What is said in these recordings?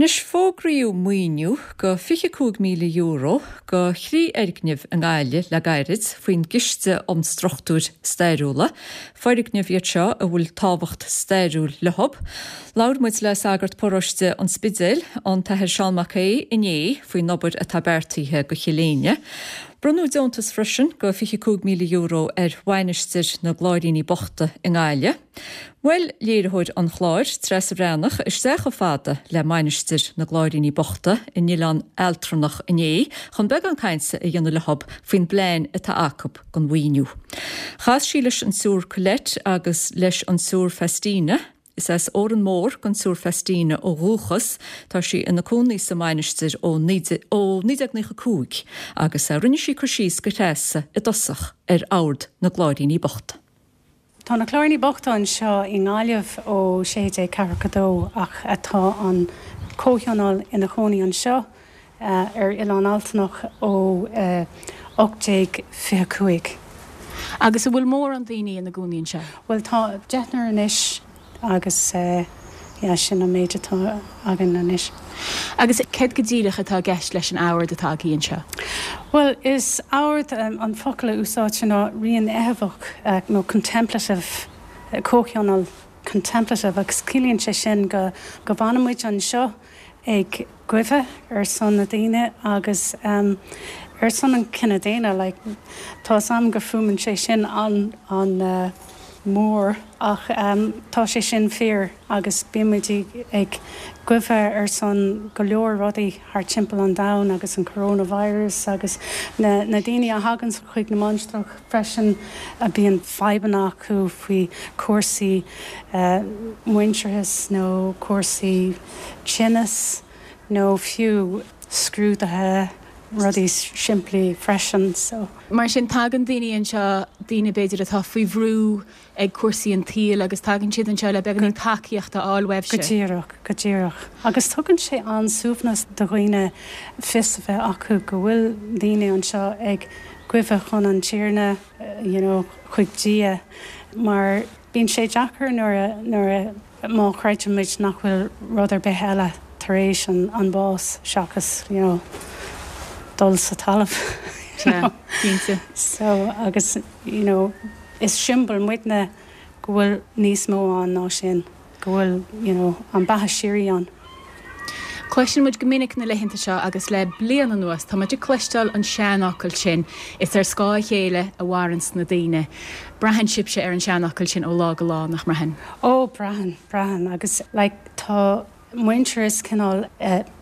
Anois, fógraíodh maoiniú de €25,000 do thrí fhoirgneamh i nGaillimh le gairid faoin gCiste um Struchtúir Stairiúla. Foirgnimh iad seo a bhfuil tábhacht stairiúil leo. Labhair muid le sagart paróiste an Spidéil, an tAthair Seán Mac Aodha, inné faoin obair atá beartaithe do Chill Éinne. Bronnadh deontas freisin de €25,000 ar Mhainistir na gCláiríní Bochta i nGaillimh. Bhuail léiritheoir an chláir, Treasa Bhreathnach, isteach chomh fada le Mainistir na gCláiríní Bochta in Oileán Ealtranach inné chun beagán cainte a dhéanamh leo faoin bplean atá acu don mhaoiniú. Chas sí leis an tSiúr Colette agus leis an tSiúr Faustina. Is as Órán Mór don tSiúr Faustina ó dhúchas. Tá sí ina cónaí sa mainistir ó 1995 agus rinne sí cur síos do Threasa i dtosach ar Ord na gCláiríní Bochta. Tá na Cláiríní Bochta anseo i nGaillimh ó 1642 ach tá an comhthionól ina chónaí anseo ar Oileán Altanach ó 1825. Agus an bhfuil mórán daoine ina gcónaí anseo? Bhuel tá deichniúr anois. Agus yeah, sin an méid atá againn anois. Agus céard go díreach atá i gceist leis an ord atá agaibh anseo? Bhuel, is ord, an focal a úsáidtear ná rianfheitheamhach nó contemplative, comhthionól contemplative agus ciallaíonn sé sin go go bhfanann muid anseo ag guibhe ar son na daoine agus ar son an cine daonna like tá's a'm go fuaimeann sé sin an an mór ach tá sé sin fíor agus bíonn muid ag guibhe ar son go leor rudaí thart timpeall an domhain agus an coronavirus agus na na daoine a thaganns chuig na mainistreach freisin a bíonn fadhbanna acu faoi cúrsaí muintearthas nó cúrsaí tinneas nó fiú scrúduithe, rudaí simplí freisin so. Mar sin tagann daoine anseo, daoine b'fhéidir atá faoi bhrú ag cúrsaí an tsaoil agus tagann siad anseo le beagáinín tacaíocht a fháil uaibhse. Go díreach, go díreach. Agus tugann sé an-suaimhneas do dhaoine fios a bheith acu go bhfuil daoine anseo ag guibhe chun an Tiarna, you know, chuig Dia mar bíonn sé deacair nuair a, nuair a, má chreideann muid nach bhfuil rud ar bith eile tar éis an bás seachas you know dul sa talamh you know. Cinnte. So agus you know is siombail muidne go bhfuil níos mó ann ná sin, go bhfuil you know an beatha síoraí ann. Cloiseann muid go minic na laethanta seo agus le bliain anuas tá muid ag cloisteáil an seanfhocal sin, is ar scáth a chéile a mhaireanns na daoine. Braitheann sibhse ar an seanfhocal sin ó lá go lá, nach mbraitheann? Ó, braitheann, braitheann agus like tá muintearas cineál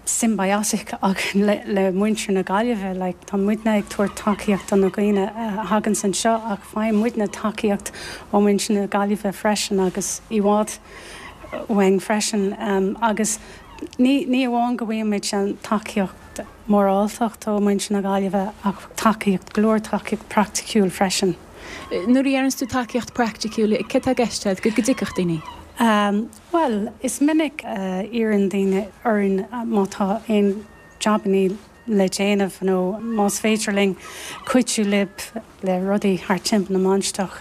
symbiotic againn le le muintir na Gaillimhe, like tá muidne ag tabhairt tacaíocht do na daoine a thaganns anseo ach faigheann muidne tacaíocht ó mhuintir na Gaillimhe freisin agus i bhfad uainn freisin agus ní ní amháin go bhfaigheann muid an tacaíocht mhoráltacht ó mhuintir na Gaillimhe ach tacaíocht, go leor tacaíocht praiticiúil freisin. Nuair a dheireanns tú tacaíocht praiticiúil, céard tá i gceist agat? Go dtiocfadh daoine? Bhuel, is minic a iarrann daoine orainn má tá aon jabannaí le déanamh nó más féidir linn cuidiú libh le rudaí thart timpeall na mainistreach,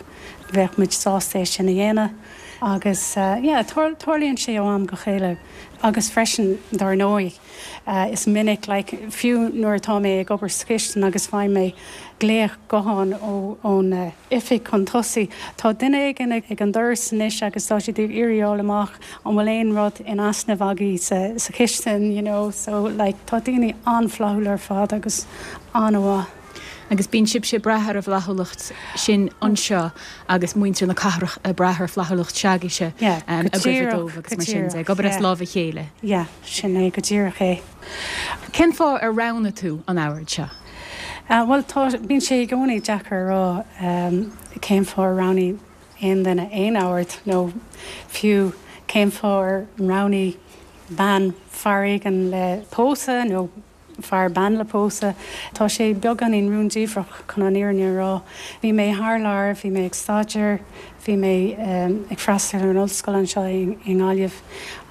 bheadh muid sásta é sin a dhéanamh. Agus yeah, tarlaíonn sé ó am go chéile. Agus freisin, dar ndóigh, is minic, like, fiú nuair atá mé ag obair sa chistin agus faigheann mé glaoch gutháin ón oifig chun tosaigh, tá duine éigin ag an doras anois agus tá siad ag iarraidh a fháil amach an bhfuil aon rud in easnamh agaibh sa chistin, you know, so like tá daoine an-fhlaithiúil ar fad agus an-mhaith. Agus bíonn sibhse ag brath ar an bhflaithiúlacht sin anseo agus muintir na cathrach ag brath ar fhlaithiúlacht s'agaibhse ag guibhe dóibh agus mar sin de, ag obair as lámh a chéile. Yeah, sin é go díreach é. Cén fáth ar roghnaigh tú an ord seo? Bhuel, tá, bíonn sé i gcónaí deacair a rá cén fáth ar roghnaigh aon duine aon ord nó fiú cén fáth ar roghnaigh bean fear éigin le pósadh nó fear bean le pósadh. Tá sé beagáinín rúndiamhrach chun an fhírinne a rá. Bhí mé thar lear, bhí mé ag staidéar, bhí mé ag freastal ar an ollscoil anseo i nGaillimh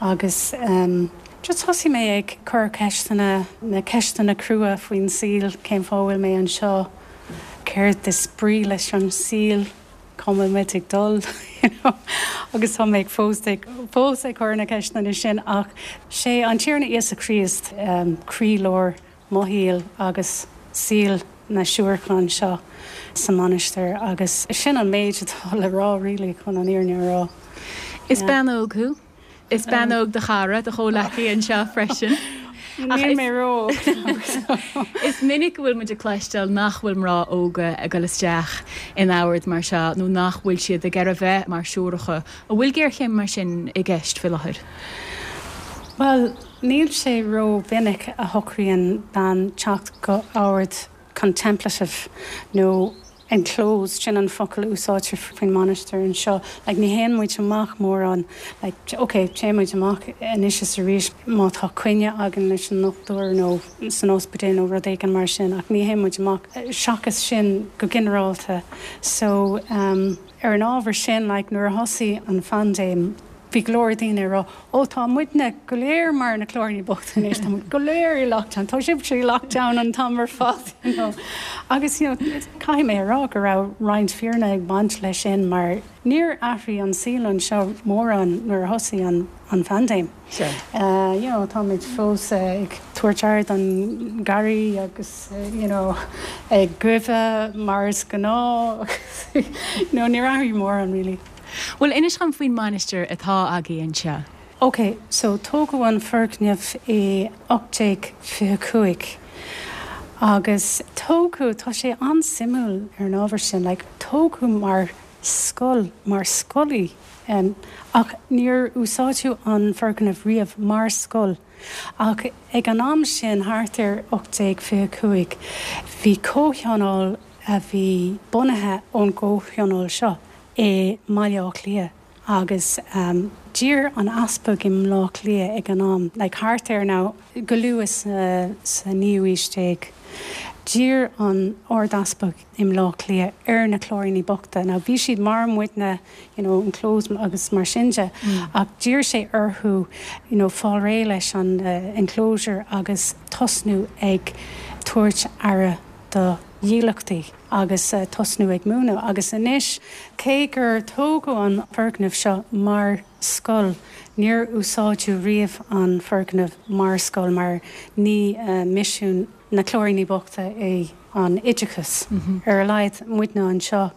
agus just thosaigh mé ag cur ceisteanna, na ceisteanna crua faoin saol, cén fáth a bhfuil mé anseo, céard is brí leis an saol? Cá bhfuil muid ag dul? You know? Agus tá mé fós ag, fós ag cur na ceisteanna sin ach sé an Tiarna Íosa Críost croílár mo shaoil agus saol na siúracha anseo sa mainistir agus sin an méid atá le rá really chun an fhírinne a rá. Is bean óg thú. Is bean óg do chara, do chomhleacaí anseo freisin. Níl mé ró-óg. Is minic go bhfuil muid ag cloisteáil nach bhfuil mná óga ag dul isteach in ord mar seo nó nach bhfuil siad ag iarraidh bheith mar siúracha. An bhfuil géarchéim mar sin i gceist faoi láthair? Bhuel, níl sé ró-mhinic a shocraíonn bean teacht go ord contemplative nó enclosed, sin an focal a úsáidtear faoin mainistir anseo. Like, ní théann muid amach mórán, like, ok, téann muid amach anois is arís má tá coinne againn leis an ndochtúir nó san ospidéal nó rud éigin mar sin ach ní théann muid amach seachas sin go ginearálta. So, um, ar an ábhar sin, like, nuair a thosaigh an phaindéim, bhí go leor daoine ag rá, Ó, tá muidne go léir mar na Cláiríní Bochta anois, tá muid go léir i lockdown, tá sibhse i lockdown an t-am ar fad, you know. Agus, you know, caithfidh mé a rá go raibh roinnt fírinne ag baint leis sin mar níor athraigh an saol anseo mórán nuair a thosaigh an, an phaindéim. Sea. You know, táimid fós ag tabhairt aire don gharraí agus, you know, ag goimh mar is gnáth agus, you know, níor athraigh mórán really. Bhuel, inis dhom faoin mainistir atá agaibh anseo. Ok, so tógadh an foirgneamh i 1825 agus tógadh, tá sé an-suimiúil ar an ábhar sin, like tógadh mar scoil, mar scoil í ach níor úsáideadh an foirgneamh riamh mar scoil ach ag an am sin, thart ar 1825, bhí comhthionól a bhí bunaithe ón gcomhthionól seo i mBaile Átha Cliath agus d'iarr an easpag i mBleá Cliath ag an am, like thart ar now go luath sa naoú aois déag, d'iarr an Ard-Easpag i mBleá Cliath ar na Cláiríní Bochta, now bhí siad mar muidne, you know, enclosed agus mar sin de, ach d'iarr sé orthu, you know, fáil réidh leis an enclosure agus tosnú ag tabhairt aire do dhílleachtaí. agus tosnú ag múineadh. Agus anois, cé gur tógadh an foirgneamh seo mar scoil, níor úsáideadh riamh an foirgneamh mar scoil mar ní misiún na Cláiríní Bochta é an oideachas, ar a laghad muidne anseo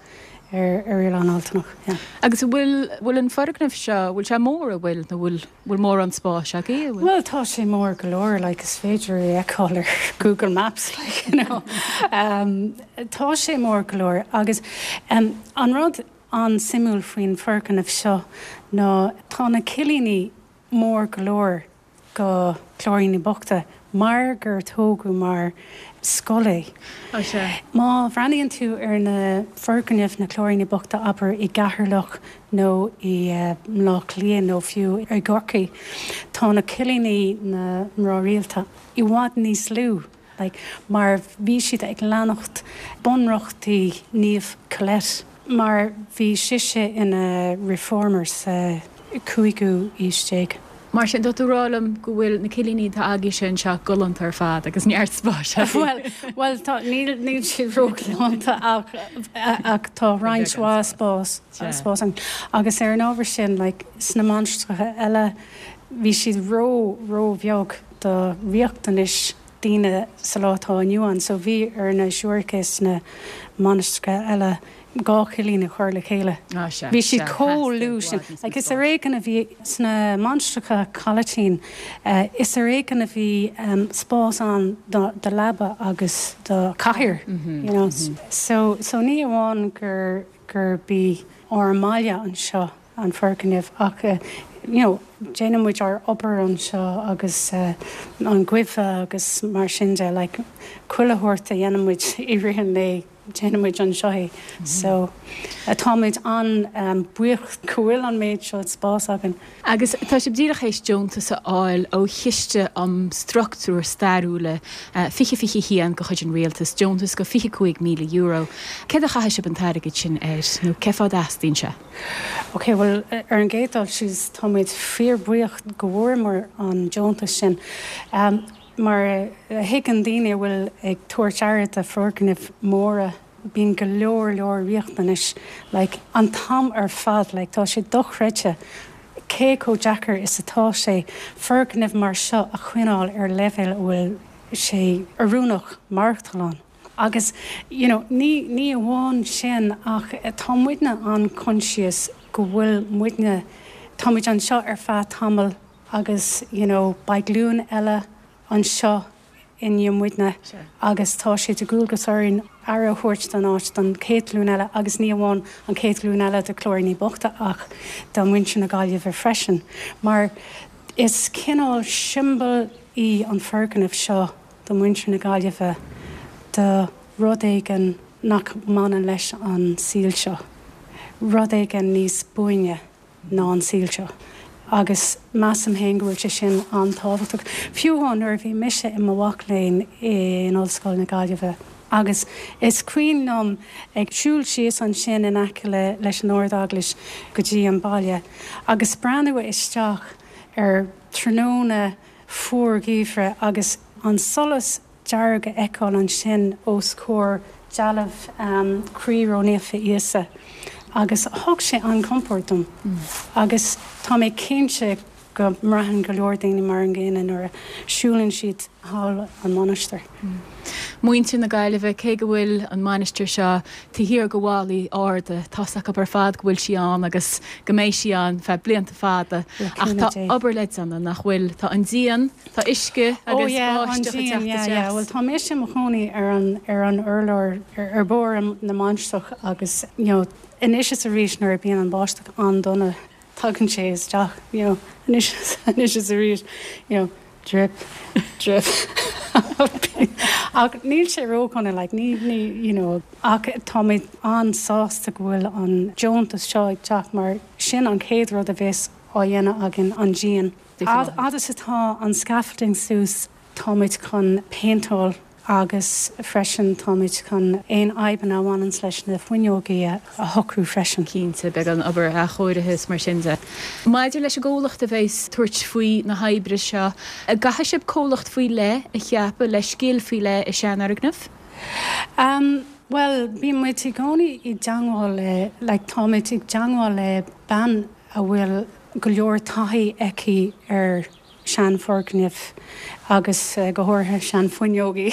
ar Oileán Altanach. Yeah. Agus an bhfuil, bhfuil an foirgneamh seo, bhfuil sé mór, an bhfuil, nó bhfuil? Bhfuil mórán spáis agaibh? Bhuel, tá sé mór go leor, like, is féidir é a fheiceáil ar Google Maps, like, you know. Tá sé mór go leor agus an rud an-suimiúil faoin foirgneamh seo ná tá na cillíní mór go leor do Chláiríní Bochta mar gur tógadh mar scoil é. Ó sea. Má bhreathnaíonn tú ar na foirgnimh na Cláiríní Bochta, abair, i gCeatharlach nó i mBleá Cliath nó fiú i gCorcaigh, tá na cillíní na mná rialta i bhfad níos lú, like, mar bhí siad ag leanacht bunreachtaí Naomh Colette, mar bhí sise ina reformer sa cúigiú aois déag. Mar sin, tá tú ag rá liom go bhfuil na cillíní atá agaibhse anseo galánta ar fad agus neart spáis agaibh. Bhuel, bhuel, tá, níl, níl siad róghalánta ach, ach tá roinnt mhaith spás, spás ann. Agus ar an ábhar sin, like, sna mainistreacha eile, bhí siad ró, ró-bheag do riachtanais daoine sa lá atá inniu ann. So bhí ar na siúracha sna mainistreacha eile 2 chillín a chur le chéile. Bhí siad chomh lú sin. Like is ar éigean a bhí sna mainistreacha Colettine, is ar éigean a bhí spás ann do leaba agus do chathaoir, you know. So, so ní amháin gur, gurb í ár mbaile anseo an foirgneamh ach, you know, déanann muid ár obair anseo agus an goimh agus mar sin de, like chuile shórt a dhéanann muid i rith an lae. Déanann muid anseo é. So, táimid an-bhuíoch go bhfuil an méid seo spás againn. Agus tá sibh díreach théis deontas a fháil ó Chiste um Struchtúir Stairiúla 2021 de chuid an Rialtais, deontas de €25,000. Céard a chaithfidh sibh an t-airgead sin air, nó cén fáth a dteastaíonn sé? Ok, bhuel, ar an gcéad dul síos, táimid fíorbhuíoch go bhfuaireamar an deontas sin. Mar a thuigeann daoine a bhfuil ag tabhairt aire do foirgnimh mhóra. Bíonn go leor leor riachtanais like an t-am ar fad like tá sé dochreidte cé chomh deacair is atá sé foirgneamh mar seo a choinneáil ar leibhéal a bhfuil sé oiriúnach maireachtáil ann. Agus you know ní ní amháin sin ach tá muidne an-choinsias go bhfuil muidne, tá muid anseo ar feadh tamaill agus you know beidh glúin eile anseo i ndiaidh muidne agus tá sé de dhualgas orainn aire a thabhairt don áit don chéad ghlúin eile agus ní amháin an chéad ghlúin eile de Cláiríní Bochta ach do mhuintir na Gaillimhe freisin mar is cineál siombail í an foirgneamh seo do mhuintir na Gaillimhe do rud éigin nach mbaineann leis an saol seo, rud éigin níos buaine ná an saol seo. Agus measaim féin go bhfuil sé sin an-tábhachtach. Fiú amháin nuair a bhí mise i mo mhac léinn in Ollscoil na Gaillimhe agus is cuimhin liom ag siúl síos ansin in aice leis an Ard-Eaglais go dtí an baile agus breathnú isteach ar tráthnóna fuar geimhridh agus an solas dearg a fheiceáil ansin os comhair dealbh Croí Ró-Naofa Íosa agus thug sé an-chompord dom agus tá mé cinnte go mbraitheann go leor daoine mar an gcéanna nuair a siúlann siad thall an mhainistir. Muintir na Gaillimhe, cé go bhfuil an mainistir seo taobh thiar de bhallaí arda, tá's acu ar fad go bhfuil sí ann agus go mbeidh sí ann feadh blianta fada. Ach tá obair le déanamh, nach bhfuil? Tá an díon, tá uisce agus báisteach ag teacht isteach. Bhuel, tá mise i mo chónaí ar an ar an urlár ar barr na mainistreach agus you know anois is arís nuair a bíonn an báisteach an-dona tagann sé isteach you know anois anois is arís you know drip drip ach níl sé ródhona like ní ní you know ach tá mé an-sásta go bhfuil an deontas seo ag teacht mar sin an chéad rud a bheas á dhéanamh againn an díon. Fhad is atá an scaffolding suas táimid chun péinteáil Agus freisin táimid chun aon fhadhbanna a bhaineanns leis na fuinneogaí a shocrú freisin. Cinnte, beidh an obair athchóirithe is mar sin de. Maidir leis an gcomhlacht a bheas ag tabhairt faoi na hoibre seo, an gcaithfidh sibh comhlacht faoi leith a cheapadh le scil faoi leith i seanfhoirgnimh? Em, bhuel, bíonn muid i gcónaí i dteangmháil le, like, táimid i dteangmháil le bean a bhfuil go leor taithí aici ar seanfhoirgnimh agus go háirithe seanfhuinneogaí,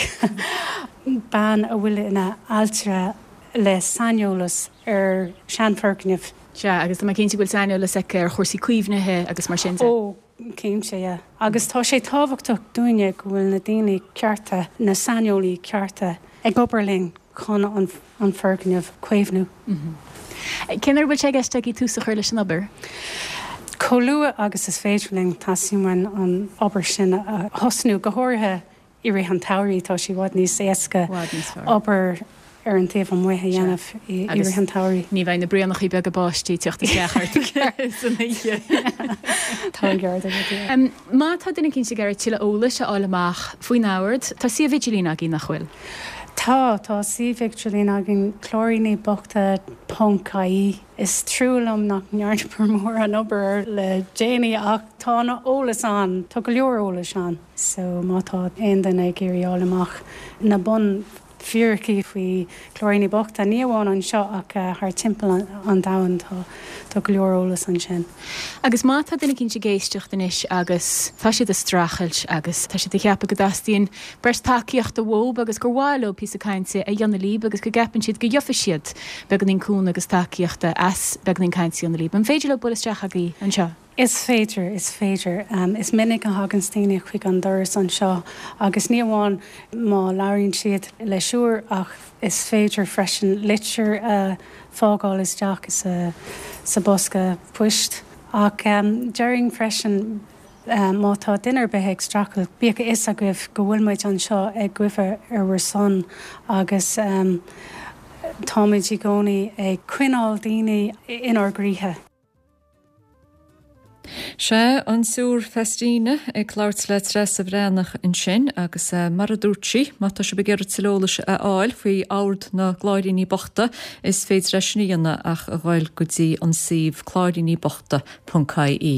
bean a bhfuil ina ailtire le saineolas ar sheanfhoirgnimh. Sea, agus tá mé cinnte go bhfuil saineolas aici ar chúrsaí caomhnaithe agus mar sin de. Ó, cinnte, yeah. Agus tá sé tábhachtach dúinne go bhfuil na daoine cearta, na saineolaí cearta ag obair linn chun an foirgneamh a chaomhnú. Cén uair a bhfuil sé i gceist agaibh tús a chur leis an obair? Chomh luath agus is féidir linn, teastaíonn uainn an obair sin a thosnú, go háirithe i rith an tsamhraidh, tá sé i bhfad níos éasca obair ar an taobh amuigh a dhéanamh i rith an tsamhraidh. Ní bheidh na braonachaí beaga báistí ag teacht isteach ort san oíche. Tá an ceart agat, yeah. Má tá duine eicínt ag iarraidh tuilleadh eolais a fháil amach faoin Ord, tá suíomh idirlín agaibh, nach bhfuil? Tá, tá suíomh idirlín againn, cláiríníbochta ponc ie. Is trua liom nach ndearnamar mórán obair air le déanaí ach tá an eolas ann, tá go leor eolais ann. So má tá aon duine ag iarraidh fháil amach na bun fíricí faoi Cláiríní Bochta, ní amháin anseo ach thar timpeall an domhain, tá tá go leor eolas ansin. Agus má tá duine eicínt ag éisteacht anois agus tá siad ag streachailt agus tá siad ag ceapadh go dteastaíonn breis tacaíochta uathub agus gur mhaith leo píosa cainte a dhéanamh líb agus go gceapann siad go gheofaidh siad beagáinín cúnamh agus tacaíochta as beagáinín cainte a dhéanamh líb, an féidir leo bualadh isteach agaibh anseo? Is féidir, is féidir. Is minic a thaganns daoine chuig an doras anseo agus ní amháin má labhraíonn siad le siúr ach is féidir freisin litir a fágáil isteach sa sa bosca poist. Ach déarfainn freisin má tá duine ar bith ag streachailt, bíodh a fhios agaibh go bhfuil muid anseo ag guí ar bhur son agus táimid i gcónaí ag coinneáil daoine inár gcroíthe. Sea, an tSiúr Faustina ag labhairt le Treasa Bhreathnach ansin agus mar a dúirt sí, má tá sibh ag iarraidh tuilleadh eolais a fháil faoi Ord na gCláiríní Bochta, is féidir é sin a dhéanamh ach a ghoil go dtí an suíomh cláiríníbochta.ie.